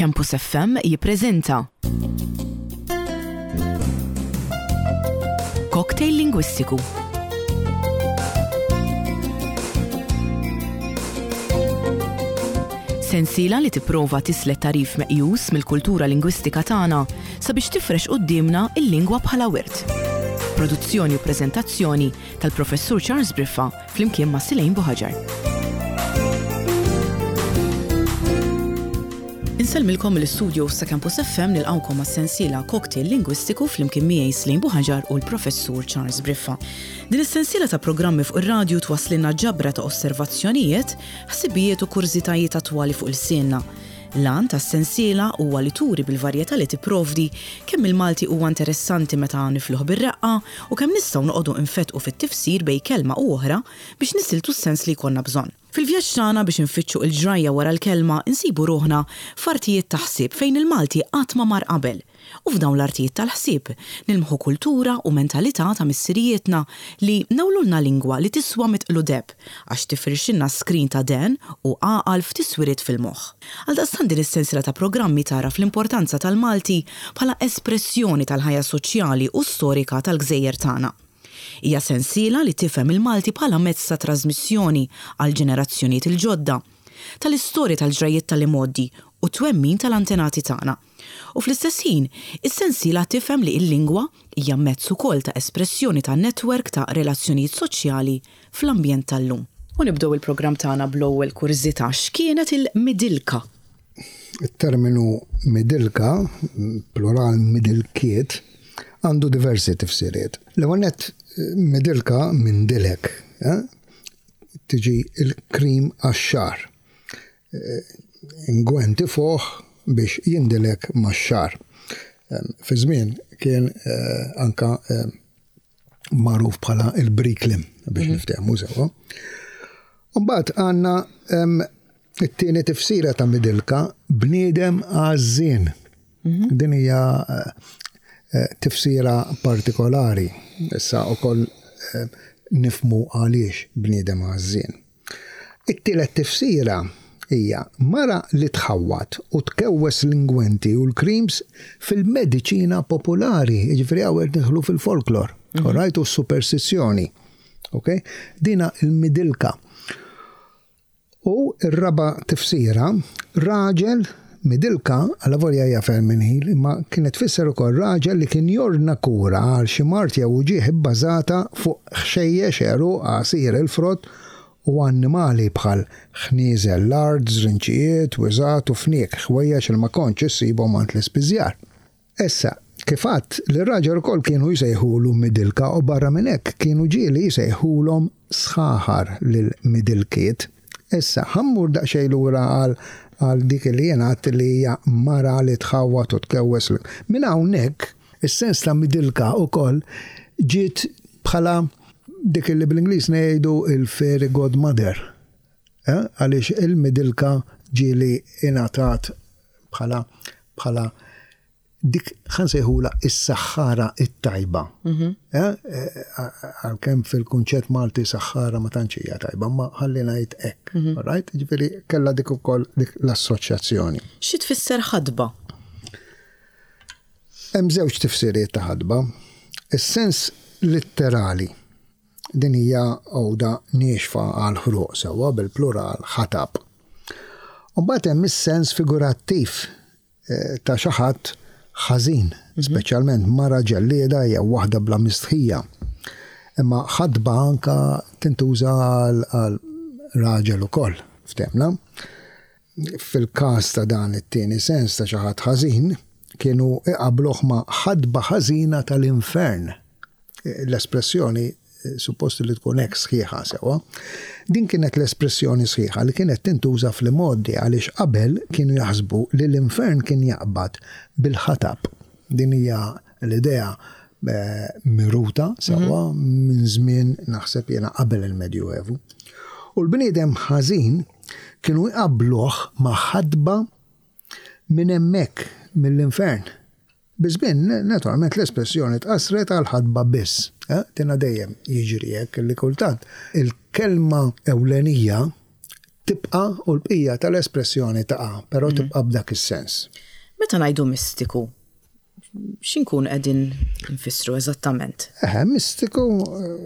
Campus FM jippreżenta Cocktail Lingwistiku. Sensiela li tipprova tislet tagħrif meqjus mill-kultura lingwistika tagħna sabiex tifrex quddiemna l-lingwa bħala wirt. Produzzjoni u preżentazzjoni tal-Professur Charles Briffa flimkien ma' Silejn Buħaġar. Insellmilkom mill-istudios ta' Campus FM nilqgħukom għas-sensiela Cocktail Lingwistiku flimkien miegħi Slejn Buħaġar u l-Professur Charles Briffa. Din is-sensiela ta' programmi fuq ir-radju twasslilna ġabra ta' osservazzjonijiet, ħsibijiet u kurżitajiet attwali fuq ilsienna. L-għan tas-sensiela huwa li turi bil-varjetà li tipprovdi kemm il-Malti huwa interessanti meta nifluh bir-reqqa u kemm nistgħu noqogħdu nfettqu fit-tifsir bejn kelma u oħra biex nisiltu s-sens li jkollna bżonn. Fil-vjaġġ tagħna biex infittxu il-ġrajja wara l-kelma nsibu ruħna f'artijiet ta' ħsieb fejn il-Malti qatt ma mar qabel. U f'dawn l-artijiet tal-ħsieb nilmħu kultura u mentalità ta' missirijietna li newlulna lingwa li tiswa mitqlu deheb għax tifirxilna skrin ta' dehen u għaqal f'tiswiriet fil-moħħ. Għaldaqstant din is-sensiela ta' programmi tagħraf l-importanza tal-Malti bħala espressjoni tal-ħajja soċjali u storika tal-gżejjer tagħna. Hija sensiela li tifhem il-Malti bħala mezz ta' trażmissjoni għall-ġenerazzjonijiet il-ġodda, tal-istorja tal-ġrajjiet tal-imgħoddi u t-twemmin tal-antenati tagħna. U fl-istess ħin, is-sensiela tifhem li l-lingwa hija mezz ukoll ta' espressjoni ta' netwerk ta' relazzjonijiet soċjali fl-ambjent tal-lum. U nibdew il-programm tagħna bl-ewwel kurżità, x'kienet il-midilka? It-terminu midilka, plural midilkiet, għandu diversi tifsiriet. L-ewwel nett midilka minn dilek, eh? tiġi l-krim għax-xagħar. Ingwent ifuħ biex jindilek max-xagħar. Fi żmien kien anka magħruf bħala il-briklim biex mhm. niftehmu sewwa. Mbagħad għandna it-tieni tifsira ta' midilka bniedem għażżien. Mhm. Din hija eh, tifsira partikolari. Issa ukoll eh, nifmu għaliex bniedem għażżien. It-tielet tifsira hija mara li tħawwad u tkewwes l-ingwenti u l-creams fil-mediċina popolari, jiġifieri hawn qed nidħlu fil-folklor, mhm. alright, u s-superstizzjoni. Okay? Dina il-midilka. U r-raba' tifsira, raġel Midilka, alavolja hija femminil, imma kienet tfisser ukoll raġel li kien jordna kura għal xi mard jew uġigħ ibbażata fuq ħxejjex, għeruq, għasir il-frott u annimali bħal ħnieżer l-art, żrinċijiet, wiżgħat u fniek, ħwejjeġ li ma kontx issibhom għand l-ispiżjar. Issa, kif għedt, lir-raġel ukoll kienu jsejħulu midilka u barra minn hekk kienu ġieli jsejħulhom sħaħar lill-midilkiet. Issa, ħa mmur daqsxejn lura għal għal dik li jien għedt li hija mara li tħawwad u tkewwes l Minn hawnhekk, is-sens ta' midilka ukoll ġiet bħala dik li bl-Ingliż ngħidu il-fairy godmother. Eh, għaliex il-midilka ġieli ingħatat bħala bħala dik ħa nsejħulha is-saħħara it-tajba. Mhm. Eh, eh, għalkemm fil-kunċett Malti saħħara ma tantx hija tajba, ma ħalli ngħid hekk. Mhm. Right? Ġifieri kellha dik ukoll dik l-assoċjazzjoni. Xi tfisser ħadba? Hemm żewġ tifsiriet ta' ħadba. Is-sens litterali Din hija għuda niexfa għall-ħruq sewwa bil-plural ħatab. U mbagħad hemm is-sens figurattiv eh, ta' xi ħadd ħażin, mhm. speċjalment mara ġellieda jew waħda bla mistħija. Imma ħadba anka tintuża għal raġel ukoll, ftemna. Fil-każ ta' dan it-tieni sens ta' xi ħadd ħażin, kienu iqabluh ma' ħadba ħażina tal-infern. L-espressjoni suppost li tkun hekk sħiħa sewwa. Din kienet l-espressjoni sħiħa li kienet tintuża fl-imgħoddi għaliex qabel kienu jaħsbu li l-infern kien jaqbad bil-ħatab. Din hija l-idea eh, miruta sewwa mhm. minn żmien naħseb jiena qabel il-Medjuevu. U l-bniedem ħażin kienu jqabbluh ma' ħadba minn hemmhekk mill-infern. Biż-żmien, naturalment, l-espressjoni tqassret għal ħatba biss. Tina dejjem jiġri hekk li kultant il-kelma ewlenija. tibqa' u l-bqija tal-espressjoni taqa', però tibqa' b'dak is-sens. Meta ngħidu mistiku, x'inkunu qegħdin nfissru eżattament? Eħe, mistiku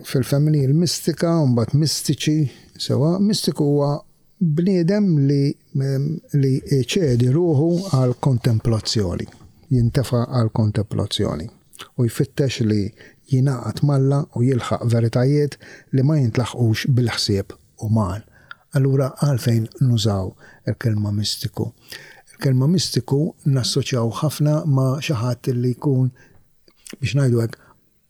fil-femminil mistika u mbagħad mistiċi, sewwa, mistiku huwa bniedem li li jċedi ruħu għall-kontemplazzjoni, jintefa' għall-kontemplazzjoni u jfittex li jingħaqad m'Alla u jilħaq veritajiet li ma jintlaħqux bil-ħsieb uman. Allura għalfejn nużaw il-kelma mistiku? Il-kelma mistiku nassoċjaw ħafna ma' xi ħadd li jkun, biex ngħidu hekk,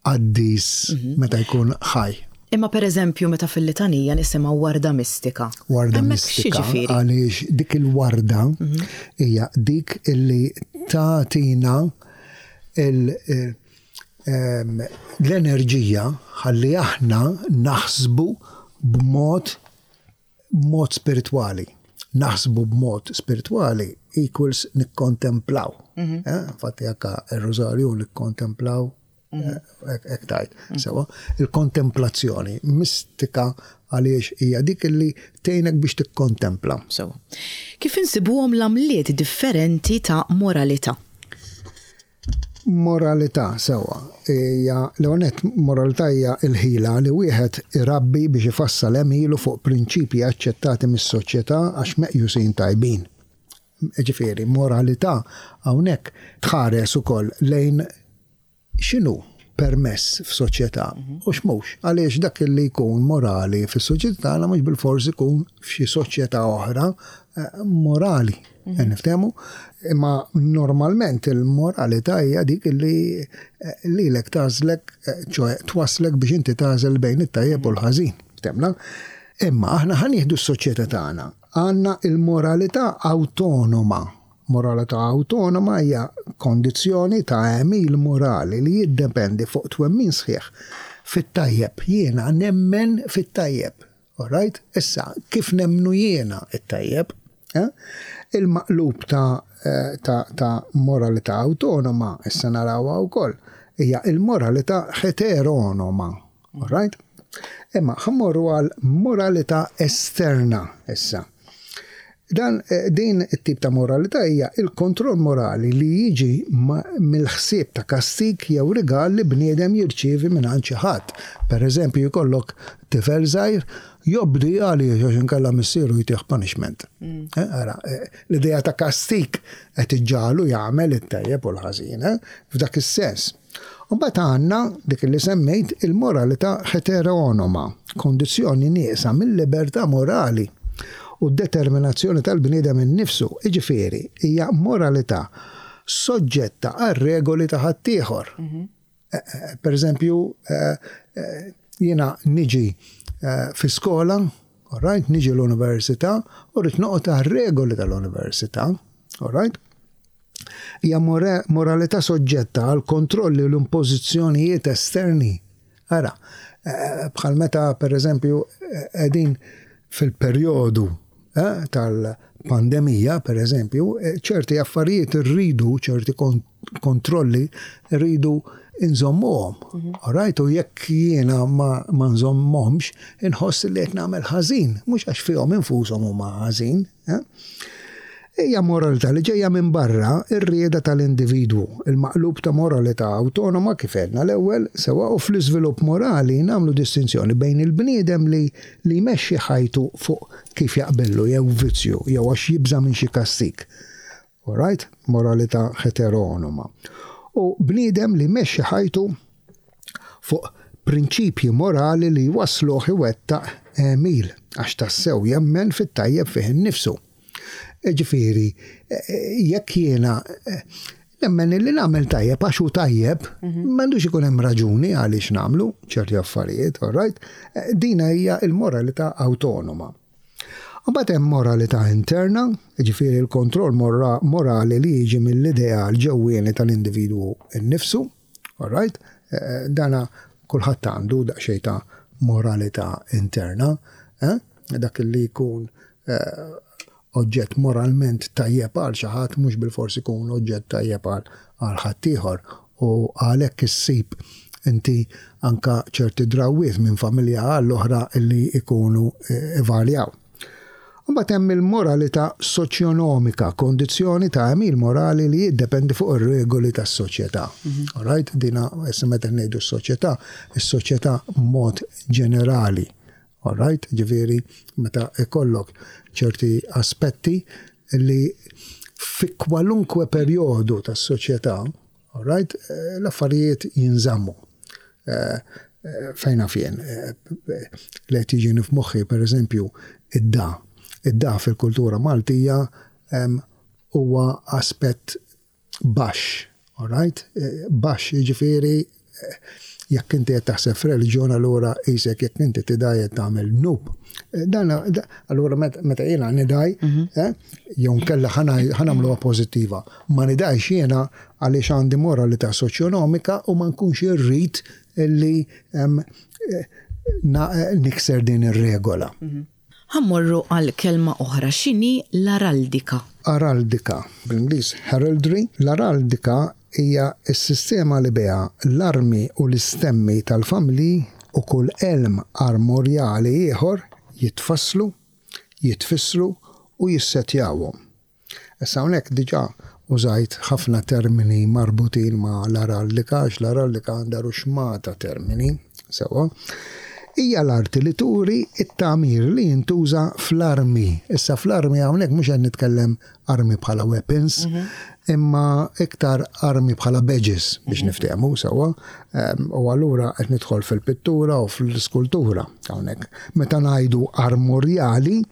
qaddis meta jkun ħaj. Imma pereżempju meta fil-litanija nisimgħu warda mistika. Warda mistika għaliex dik il-warda hija dik illi tagħtina l-enerġija ħalli aħna naħsbu b'mod b'mod spiritwali. Naħsbu b'mod spiritwali equals nikkontemplaw. Infatti anke r-rużarju nikkontemplaw hekk tgħid. Sewwa, il-kontemplazzjoni mistika għaliex hija dik li tgħinek biex tikkontempla. Sewwa. Kif insibuhom l-għamliet differenti ta' moralità? Moralità, sewwa, hija, l-ewwel nett, moralità hija l-ħila li wieħed irabbi biex ifassal għemilu fuq prinċipji aċċettati mis-soċjetà għax meqjusin tajbin. Jiġifieri, moralità hawnhekk tħares ukoll lejn x'inhu permess f'soċjetà u x'mhux. Għaliex dak li jkun morali fis-soċjetà tagħna mhux bilfors ikun f'xi soċjetà oħra morali. Niftehmu? Imma normalment il-moralità hija dik li lilek tagħżlek, ċoe twasslek biex inti tagħżel bejn it-tajjeb u l-ħażin. Ftehmna? Imma aħna ħa nieħdu s-soċjetà tagħna. Għandna il-moralità awtonoma. Moralità awtonoma hija kondizzjoni ta' għemil morali li jiddependi fuq twemmin sħiħ fit-tajjeb. Jiena nemmen fit-tajjeb. All right? Issa, kif nemmnu jiena t-tajjeb? Eh? Il-maqlub ta', ta, ta' moralità awtonoma, issa narawha wkoll, hija il-moralità heteronoma. All right? Imma ħa mmorru għal moralità esterna issa. Dan, eh, din it-tip ta' moralità hija il-kontroll morali li jiġi mill-ħsieb ta' kastig jew rigal li bniedem jirċievi mingħand xi ħadd. Per eżempju, jkollok tifel żgħir jobdi għaliex għax inkella missieru jtih punishment. Mm. Eh, ara, eh, l-idea ta' kastig qed iġġagħlu jagħmel it-tajjeb u l-ħażin, f'dak is-sens. U mbagħad għandna dik li semmejt il-moralità heteronoma, kondizzjoni nieqsa mill-libertà morali u d-determinazzjoni tal-bniedem innifsu, jiġifieri hija moralità soġġetta għar-regoli ta' ħaddieħor. Mhm. Eh, eh, per eżempju, eh, jiena niġi fi skola, all right, niġi l-università u rrid noqgħod għar-regoli tal-università, all right? Hija moralità soġġetta għal kontrolli u l-impożizzjonijiet esterni. Ara, eh, bħal meta per eżempju qegħdin fil-perjodu eh, tal-pandemija, per eżempju, eh, ċerti affarijiet irridu, ċerti kontrolli rridu nżommuhom. Mhm. Alright, u jekk jiena ma, ma nżommhomx, inħoss li qed nagħmel ħażin, mhux għax fihom infushom huma ħażin. Eh? Hija moralità li ġejja minn barra r-rieda tal-individwu, il-maqlub ta' moralità awtonoma kif għedna l-ewwel, sewwa u fl-iżvilupp morali nagħmlu distinzjoni bejn il-bniedem li li jmexxi ħajtu fuq kif jaqbillu jew vizzju jew għax jibża' minn xi kastig. Alright? Moralità heteronoma. U bniedem li jmexxi ħajtu fuq prinċipji morali li jwassluh iwettaq għemil għax tassew jemmen fit-tajjeb fih innifsu. Ġifieri, jekk jiena nemmen li nagħmel tajjeb għax hu tajjeb, mhm. m'għandux ikun hemm raġuni għaliex nagħmlu ċerti affarijiet, all right? Dina hija l-moralità awtonoma. Mbagħad hemm moralità interna, ġifieri l-kontroll morali li jiġi mill-ideal ġewwieni tal-individwu nnifsu, all right? Dana kulħadd għandu daqsxejn ta' moralità interna, eh? dak li jkun eh, oġġett moralment tajjeb għal xi ħadd mhux bilfors ikun oġġett tajjeb għal ħaddieħor u għalhekk issib inti anka ċerti drawwiet minn familja għall oħra li jkunu eh, ivarjaw. Mbagħad hemm il-moralità soċjonomika, kondizzjoni ta' għemil morali li jiddependi fuq ir-regoli tas-soċjetà. All right? Dina issa meta ngħidu s-soċjetà, is-soċjetà mod ġenerali. All right? Ġifieri meta ikollok ċerti aspetti li fi kwalunkwe perjodu tas-soċjetà, all right, l-affarijiet jinżammu. Fejn naf jien, li qed jiġini f'moħħi pereżempju id-da. Id-da fil-kultura Maltija huwa aspett baxx, all right? Baxx jiġifieri jekk inti qed taħseb f'reliġjon allura qisek jekk inti tidgħi qed tagħmel dnub. Dan allura meta jiena nidgħi, jew nkella ħa nagħmluha pożittiva, ma nidgħix jiena għaliex għandi moralità soċjonomika u ma nkunx irrid li nikser din ir-regola. Ħa mmorru għal kelma oħra, x'inhi l-araldika? Araldika, bl-Ingliż heraldry, l-araldika hija s-sistema li biha l-armi u l-istemmi tal-familji u kull għelm armorjali ieħor jitfasslu, jitfissru u jissettjawhom. Issa hawnhekk diġà użajt ħafna termini marbutin ma' l-araldika għax l-araldika għandha ruxmata termini, sewwa. Hija l-arti li turi t-tagħmir li jintuża fl-armi. Issa fl-armi hawnhekk mhux qed nitkellem armi bħala weapons, imma iktar armi bħala badges biex niftehmu sewwa. U allura qed nidħol fil-pittura u fl-iskultura hawnhekk. Meta ngħidu armorjali,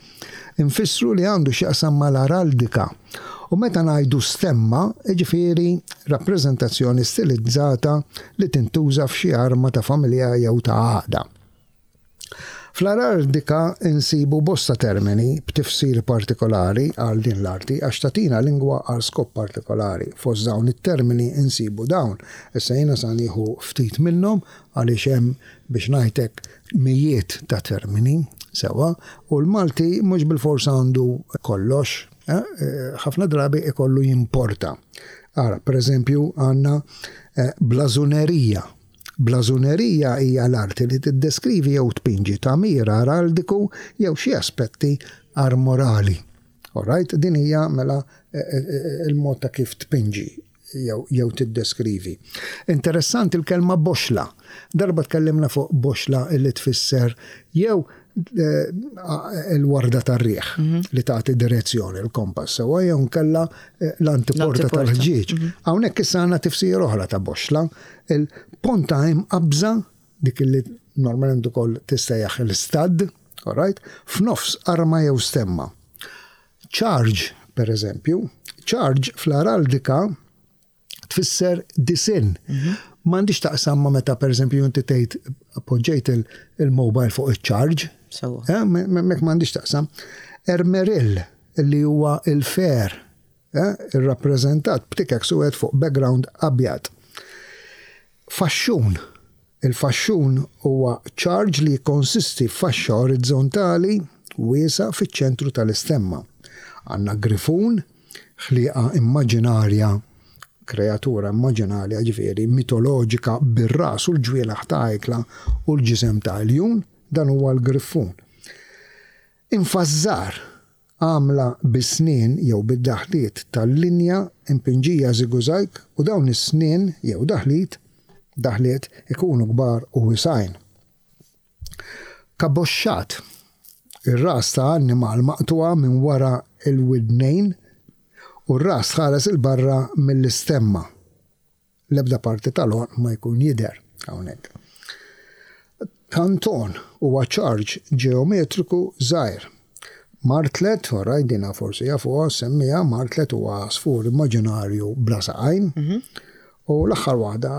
Infissru li għandu x'jaqsam mal-araldika. U meta ngħidu stemma, jiġifieri rappreżentazzjoni stilizzata li tintuża f'xi arma ta' familja jew ta' għaqda. Fl-araldika nsibu bosta termini b'tifsir partikolari għal din l-arti għax tagħtina lingwa għal skop partikolari. Fost dawn it-termini nsibu dawn. Issa jiena sa nieħu ftit minnhom għaliex hemm biex ngħid hekk, mijiet ta' termini, sewwa, u l-Malti mhux bilfors għandu kollox, ħafna drabi ikollu jimporta. Ara, pereżempju, għandna blażunerija. Blażunerija hija l-arti li tiddeskrivi jew tpinġi tagħmir araldiku jew xi aspetti armorali. All right? Din hija mela il-mod ta' kif tpinġi jew tiddeskrivi. Interessanti l-kelma boxla. Darba tkellimna fuq boxla li tfisser jew eh, il-warda tar-riħ mhm. li tagħti direzzjoni l-kompass sewwa jew nkella eh, l-antiporta tal-ħġieġ. Mhm. Hawnhekk issa għandna tifsir oħra ta' boxla, il-ponta imqabża dik li normalment ukoll tissejjaħ l-istad, all right, f'nofs arma jew stemma. Charge, per eżempju, charge fl-araldika tfisser disinn. Mhm. M'għandix taqsam ma meta per eżempju inti tgħid poġġejt il-mobile fuq iċ-charge. Eh, mek m'għandix taqsam. Ermeril li huwa il-fer, eh, irrappreżentat b'tikek suwed fuq background abjad. Faxxun, Il-faxxun huwa ċarġ li jikkonsisti f'faxxa orizzontali wiesgħa fiċ-ċentru tal-istemma. Għandna grifun, ħlieqa immaġinarja, kreatura immaġinarja, jiġifieri mitoloġika bir-ras u l-ġwienaħ ta' ajkla u l-ġisem ta' iljun, dan huwa l-griffun. Infażżar, għamla bis-snien jew bid-daħliet tal-linja impinġija żigużajg u dawn is-snien jew daħlit, daħliet, ikunu kbar u wisgħin. Kaboxxat, ir-ras ta' annimal maqtugħa minn wara l-widnejn u r-ras tħares 'il barra mill-istemma. L-ebda parti tal-għonq ma jkun jidher hawnhekk. Kanton huwa ċarġ ġeometriku żgħir. Martlet, orajt dina forsi jafuha, semmiha, martlet huwa għasfur immaġinarju bla saqajn. Mhm. U l-aħħar waħda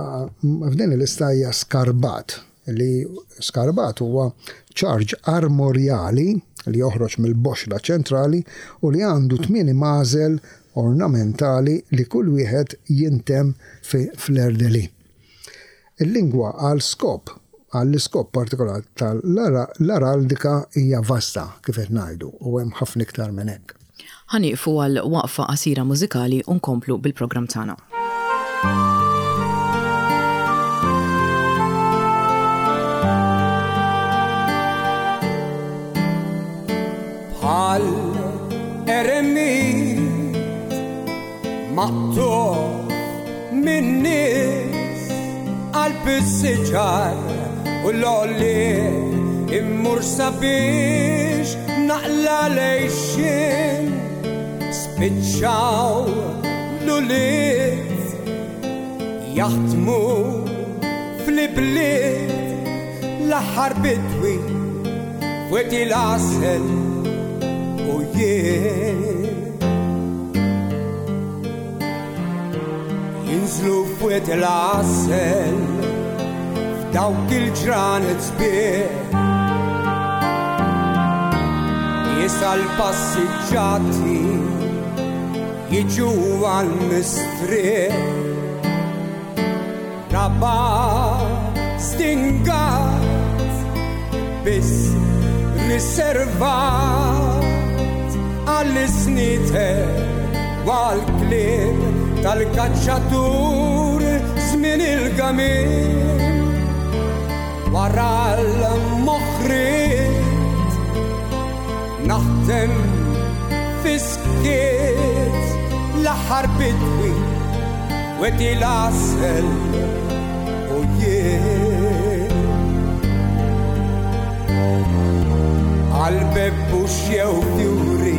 f'din il-lista hija skarbat, li skarbat huwa ċarġ armorjali li joħroġ mill-boxla ċentrali u li għandu tmini magħżel ornamentali li kull wieħed jintemm fi fleur-de-lis. Il-lingwa għal skop għall-iskop partikolari tal-araldika hija vasta, kif qed ngħidu, u hemm ħafna iktar minn hekk. Ħa nieqfu għal waqfa qasira mużikali u nkomplu bil-programm tagħna. Bħal. Maqtugħ min-nies qalb is-siġar u l-għolliet immur sabiex naqla' l-għixien. Spiċċaw l-ulied jaħdmu fl-ibliet l-aħħar bidwi f'Wied il-Għasel u jien. Jinżlu f'Wied il-Għasel f'dawk il-ġranet sbieħ. Nies għall-passiġġati jiġu għall-mistrieħ. Raba' stingat biss riservat għall-isnieter u għall-klieb tal-kaċċatur żmien il-gamil wara l-moħriet naħdem fis-skiet l-aħħar bidwi Wedi l-għasel u jien. Għal bebbux jew fjuri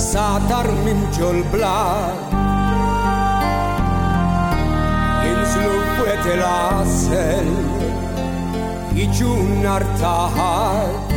satar minn ġol blat. Jinżlu f'wed il-għasel jiġu nhar ta' Ħadd.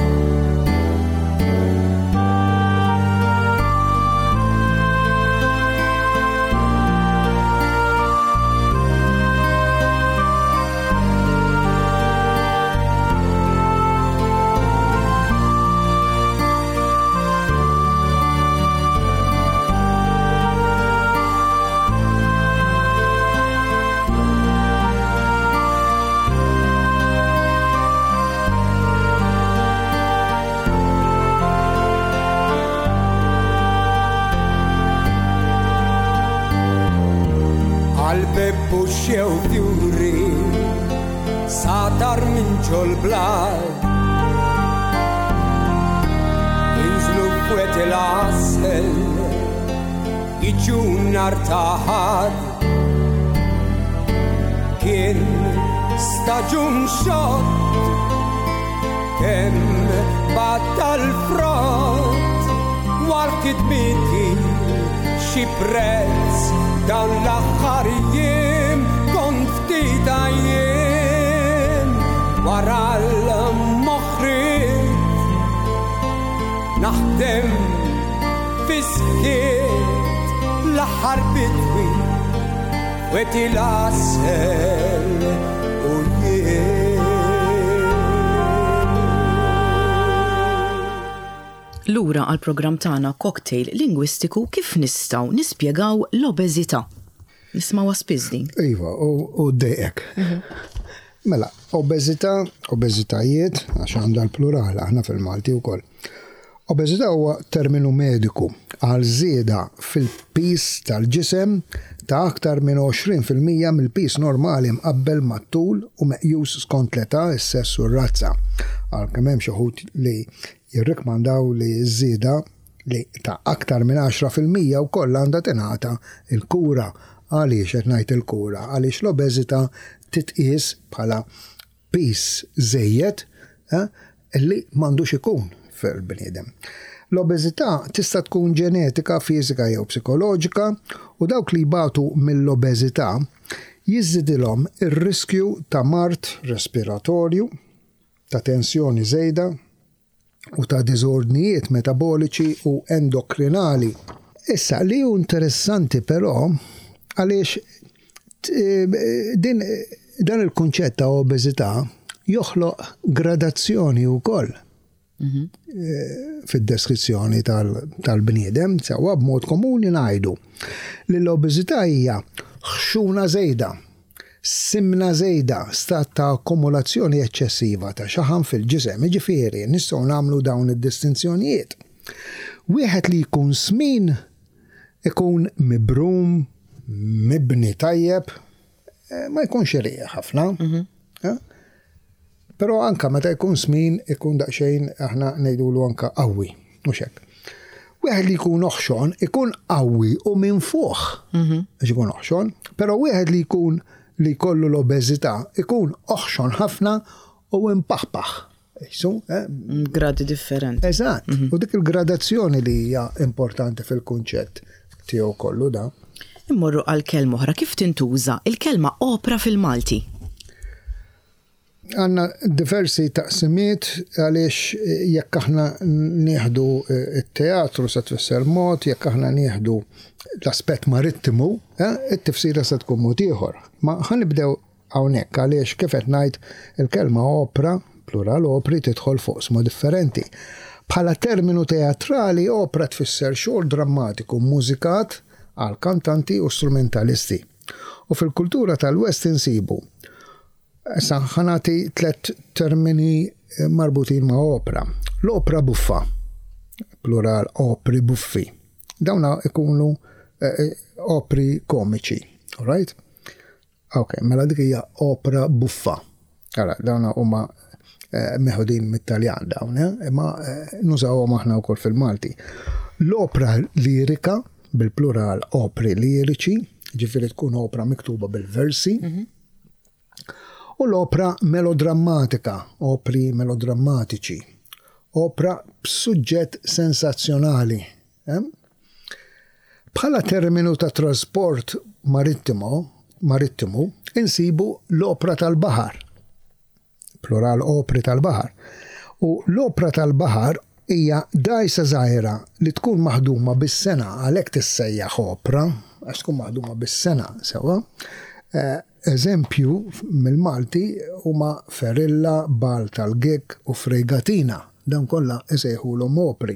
Għal-bebbux jew fjuri satar minn ġol-blat Inżlu f'wed il-għasel jiġu nhar ta' Ħadd Kien staġun xott kemm battal frott war kitbiti xi prezz dawn l-aħħar jiem kont ftit għajjien wara l-moħriet naħdem Fis-skiet l-aħħar bidwi wet il-għasel u jien. Lura għall-programm tagħna Cocktail Lingwistiku kif nistgħu nispjegaw l-obeżità. Nismgħuha spiss din. Iva, u ddejqek. Mela, obeżità, obeżitajiet, għax għandha l-plural aħna fil-Malti wkoll. Obeżità huwa terminu mediku għal żieda fil-piż tal-ġisem ta' aktar minn 20% mill-piż normali mqabbel mat-tul u meqjus skont l-età, is-sess u r-razza, għalkemm hemm xi wħud li jirrikkmandaw li ż-żieda li ta' aktar minn 10% wkoll għandha tingħata l-kura. Għaliex qed ngħid il-kura? Għaliex l-obeżità titqies bħala piż żejjed li m'għandux ikun fil-bniedem. L-obeżità tista' tkun ġenetika, fiżika jew psikoloġika u dawk li jbatu mill-obeżità jiżdidilhom ir-riskju ta' mard respiratorju, ta' tensjoni żejda, u ta' diżordnijiet metaboliċi u endokrinali. Issa, li hu interessanti però, għaliex din dan il-kunċett ta' obeżità joħloq gradazzjoni wkoll mhm. eh, fid-deskrizzjoni tal-bniedem, sewwa b'mod komuni ngħidu li l-obeżità hija ħxuna żejda Simna żejda, stat ta' akkumulazzjoni eċċessiva ta' xaħam fil-ġisem, jiġifieri nistgħu nagħmlu dawn id-distinzjonijiet. Wieħed li jkun smin ikun mibrum, mibni tajjeb, ma jkunx irqiq ħafna. Però anka meta jkun smin ikun daqsxejn aħna ngħidulu anka qawwi, mhux hekk. Wieħed li jkun oħxon ikun qawwi u minfuħ għax ikun oħxon, però wieħed li jkun li jkollu l-obeżità ikun oħxon ħafna u impaħpaħ. Isu, eh? Gradi differenti. Eżatt. U dik il-gradazzjoni li hija importanti fil-kunċett tiegħu kollu da. Immorru għal kelma oħra, kif tintuża il-kelma opra fil-Malti? Għandna diversi taqsimiet għaliex jekk aħna nieħdu t-teatru se tfisser mod, jekk aħna nieħdu l-aspett marittimu, it-tifsira se tkun mod ieħor. Ma ħa nibdew hawnhekk għaliex kif qed ngħid il-kelma opra, plural opri, tidħol f'oqsma differenti. Bħala terminu teatrali opra tfisser xogħol drammatiku mmużikat għal kantanti u strumentalisti. U fil-kultura tal-West insibu Issa ħa nagħti tlett termini marbutin ma' opra. L-opra buffa, plural opri buffi. Dawna ikunu opri komiċi, all right? Ok, mela dik hija opra buffa. Ara, dawna huma meħudin mit-Taljan dawn, imma nużawhom aħna wkoll fil-Malti. L-opra lirika, bil-plural opri liriċi, ġifieri tkun opra miktuba bil-versi. U l-opra melodrammatika, opri melodrammatiċi, opra b'suġġett sensazzjonali. Bħala terminu ta' trasport marittimo, marittimu, insibu l-opra tal-baħar. plural opri tal-baħar, u l-opra tal-baħar hija dgħajsa żgħira li tkun maħduma bis-sengħa għalhekk tissejjaħ opra għax tkun maħduma bis-sengħa sewwa. Eżempju mill-Malti huma ferilla, bal tal-gig u frejgatina. Dawn kollha isejħulhom opri.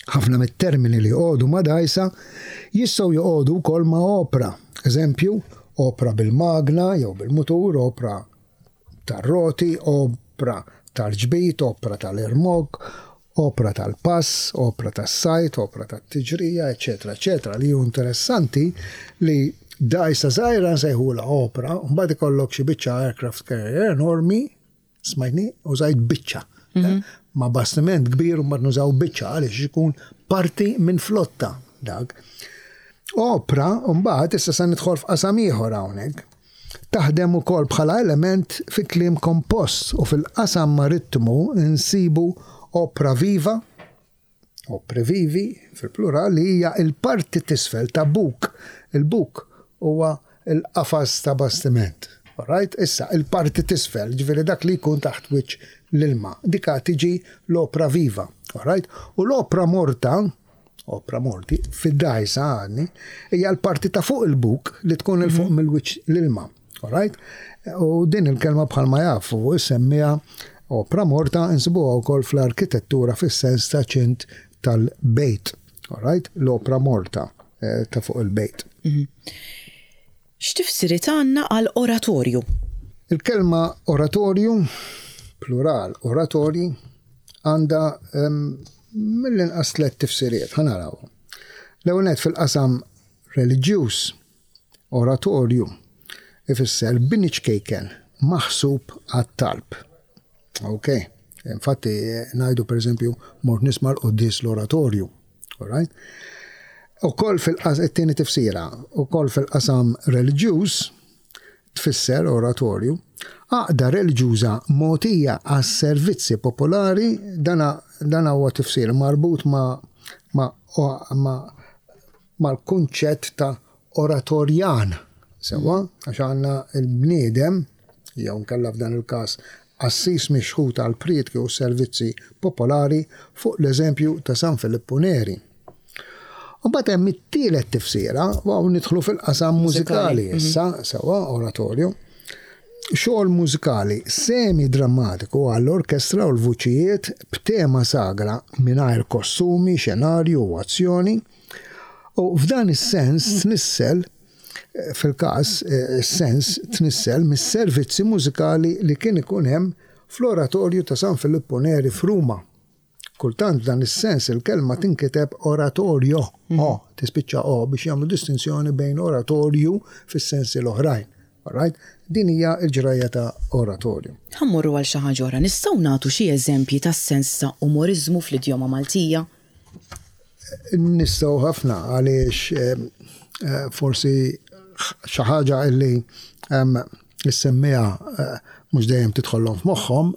Ħafna mit-termini li joqogħdu ma' dgħajsa jistgħu joqogħdu wkoll ma' opra. Eżempju, opra bil-magna jew bil-mutur, opra tar-roti, opra tal-ġbid, opra tal-irmokk, opra tal-pass, opra tas-sajd, opra tat-tiġrija, eċċetera, eċċetera. Li hu interessanti li dgħajsa żgħira nsejħulha opra, u mbagħad ikollok xi biċċa aircraft carrier enormi, smajtni, użajt biċċa. Mhm. Ma bastiment kbir u mbagħad nużaw biċċa għaliex ikun parti minn flotta dak. Opra, mbagħad issa se nidħol f'qasam ieħor hawnhekk. Taħdem ukoll bħala element fi kliem kompost u fil-qasam marittimu nsibu opra viva, opri vivi fil-plural, li hija l-parti t'isfel ta' buk. Il-buk huwa l-qafas ta' bastiment. Alright? Issa, il-parti t'isfel, ġifieri dak li jkun taħt wiċċ l-ilma, dika tiġi l-opra viva. Alright? U l-opra morta, opra morti, fid-dgħajsa għadni, hija l-parti ta' fuq il-buk li tkun 'il fuq mhm. mill-wiċċ l-ilma. Alright? U din il-kelma bħalma jafu semmiha opra morta insibuha wkoll fl-arkitettura fis-sens ta' ċint tal-bejt. Alright? L-opra morta eh, ta' fuq il-bejt. Mhm. X'tifsiriet għandna għal oratorju? Il-kelma oratorju, plural oratorji, għandha mill-inqas tlett tifsiriet, ħa narawhom. L-ewwel nett fil-qasam reliġjuż, oratorju ifisser bini ċkejken maħsub għat-talb. Ok. Infatti ngħidu pereżempju mort nisma' l-quddies l-oratorju. All right? Ukoll fil-qas it-tieni tifsira, ukoll fil-qasam reliġjuż tfisser oratorju, għaqda reliġjuża mogħtija għas-servizzi popolari, dana dana huwa tifsir marbut ma' ma' ma' mal-kunċett ta' oratorjan, sewwa, għax għandna l-bniedem, jew inkella f'dan il-każ qassis mixħut għall-prietki u s-servizzi popolari fuq l-eżempju ta' San Filippu Neri. U mbagħad hemm it-tielet tifsira, u hawn nidħlu fil-qasam mużikali mhm. issa, sewwa, oratorju. Xogħol mużikali semi-drammatiku għall-orkestra u l-vuċijiet b'tema sagra mingħajr kostumi, xenarju u azzjoni. U f'dan is-sens tnissel fil-każ, is-sens tnissel mis-servizzi mużikali li kien ikun hemm fl-Oratorju ta' San Filippu Neri f'Ruma. Kultant f'dan is-sens il-kelma tinkiteb oratorio, o, tispiċċa o, biex jagħmlu distinzjoni bejn oratorju fis-sensi l-oħrajn. Alright? Din hija l-ġrajja ta' oratorju. Ħa mmorru għal xi ħaġa oħra. Nistgħu nagħtu xi eżempji tas-sens ta' umoriżmu fl-idjoma Maltija? Nistgħu ħafna għaliex forsi xi ħaġa illi issemmiha mhux dejjem tidħollhom f'moħħhom,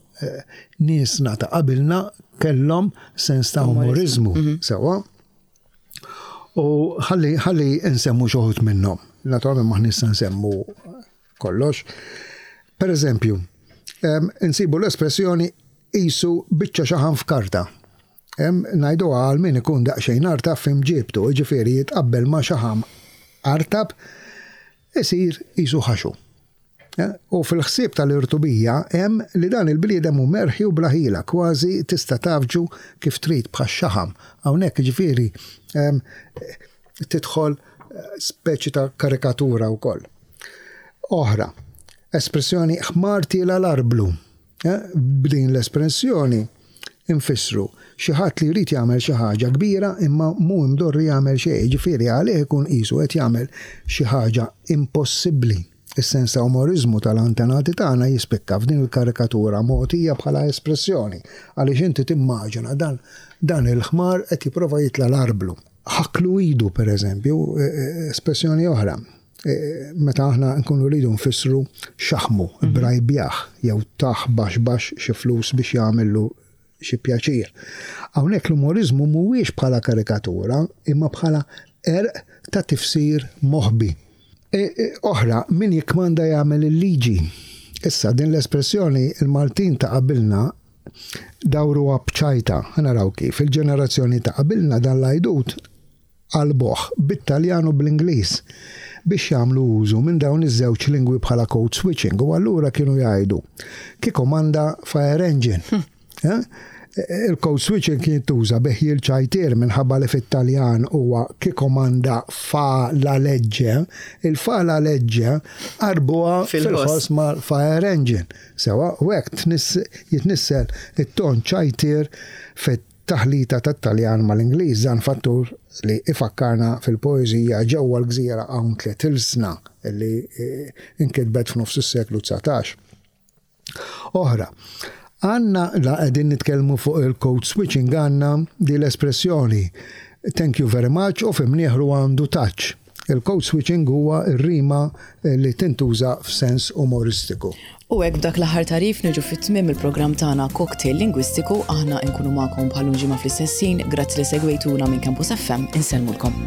niesna ta' qabilna kellhom sens ta' umoriżmu, sewwa. U ħalli ħalli nsemmu xi wħud minnhom. Naturalment m'aħniex se nsemmu kollox. Per eżempju, insibu l-espressjoni qisu biċċa xaħam f'karta. Ngħiduha għal min ikun daqsxejn artab f'imġiebtu, jiġifieri jitqabbel ma' xaħam artab isir qisu ħaxu. U fil-ħsieb tal-irtubija hemm li dan il-bniedem hu merħi u bla ħila, kważi tista' tgħaffġu kif trid bħax-xaħam. Hawnhekk jiġifieri tidħol speċi ta' karikatura wkoll. Oħra, espressjoni ħmar tiela' l-arblu. B'din l-espressjoni nfissru xi ħadd li jrid jagħmel xi ħaġa kbira imma mhu imdorri jagħmel xejn, jiġifieri għalih ikun qisu qed jagħmel xi ħaġa impossibbli. Is-sens ta' umoriżmu tal-antenati tagħna jispikka f'din il-karikatura mogħtija bħala espressjoni, għaliex inti timmaġina dan dan il-ħmar qed jipprova jitla' l-arblu. Ħakklu idu, pereżempju, espressjoni oħra. Meta aħna nkunu rridu nfissru xaħmu, brajbjah, jew tah baxx baxx xi flus biex jagħmillu xi pjaċir. Hawnhekk l-umoriżmu mhuwiex bħala karikatura, imma bħala qerq ta' tifsir moħbi. Oħra, min jikkmanda jagħmel il-liġi. Issa, din l-espressjoni il-Maltin ta' qabilna dawruha b'ċajta. Ħa naraw kif. Il-ġenerazzjoni ta' qabilna dan l-għajdut qalbuh bit-Taljan u bl-Ingliż biex jagħmlu użu minn dawn iż-żewġ lingwi bħala code switching u allura kienu jgħidu chi comanda fire engine. Eh? Il-code switching kien jintuża bi ħjiel ċajtier minħabba li fit-Taljan huwa chi comanda fa la legge, il-fa la legge qarbuha fil-ħoss mal-fire engine. Sewa, u hekk jitnissel it-ton ċajtier fit Taħlita tat-Taljan mal-Ingliż, dan fattur li ifakkarna fil-poeżija Ġewwa l-Gżira Hawn Tliet Ilsna li nkitbet f'nofs is-seklu 19. Oħra, għandna la qegħdin nitkellmu fuq il-code switching għandna di l-espressjoni thank you very much u fi mnieħru għandu touch. Il-code switching huwa r-rima li tintuża f'sens umoristiku. U hekk b'dak l-aħħar tagħrif niġu fi tmiem il-programm tagħna Cocktail Lingwistiku, aħna nkunu magħkom bħal ġimgħa fl-istess ħin, grazzi li segwejtuna minn Campus FM, insellmulkom.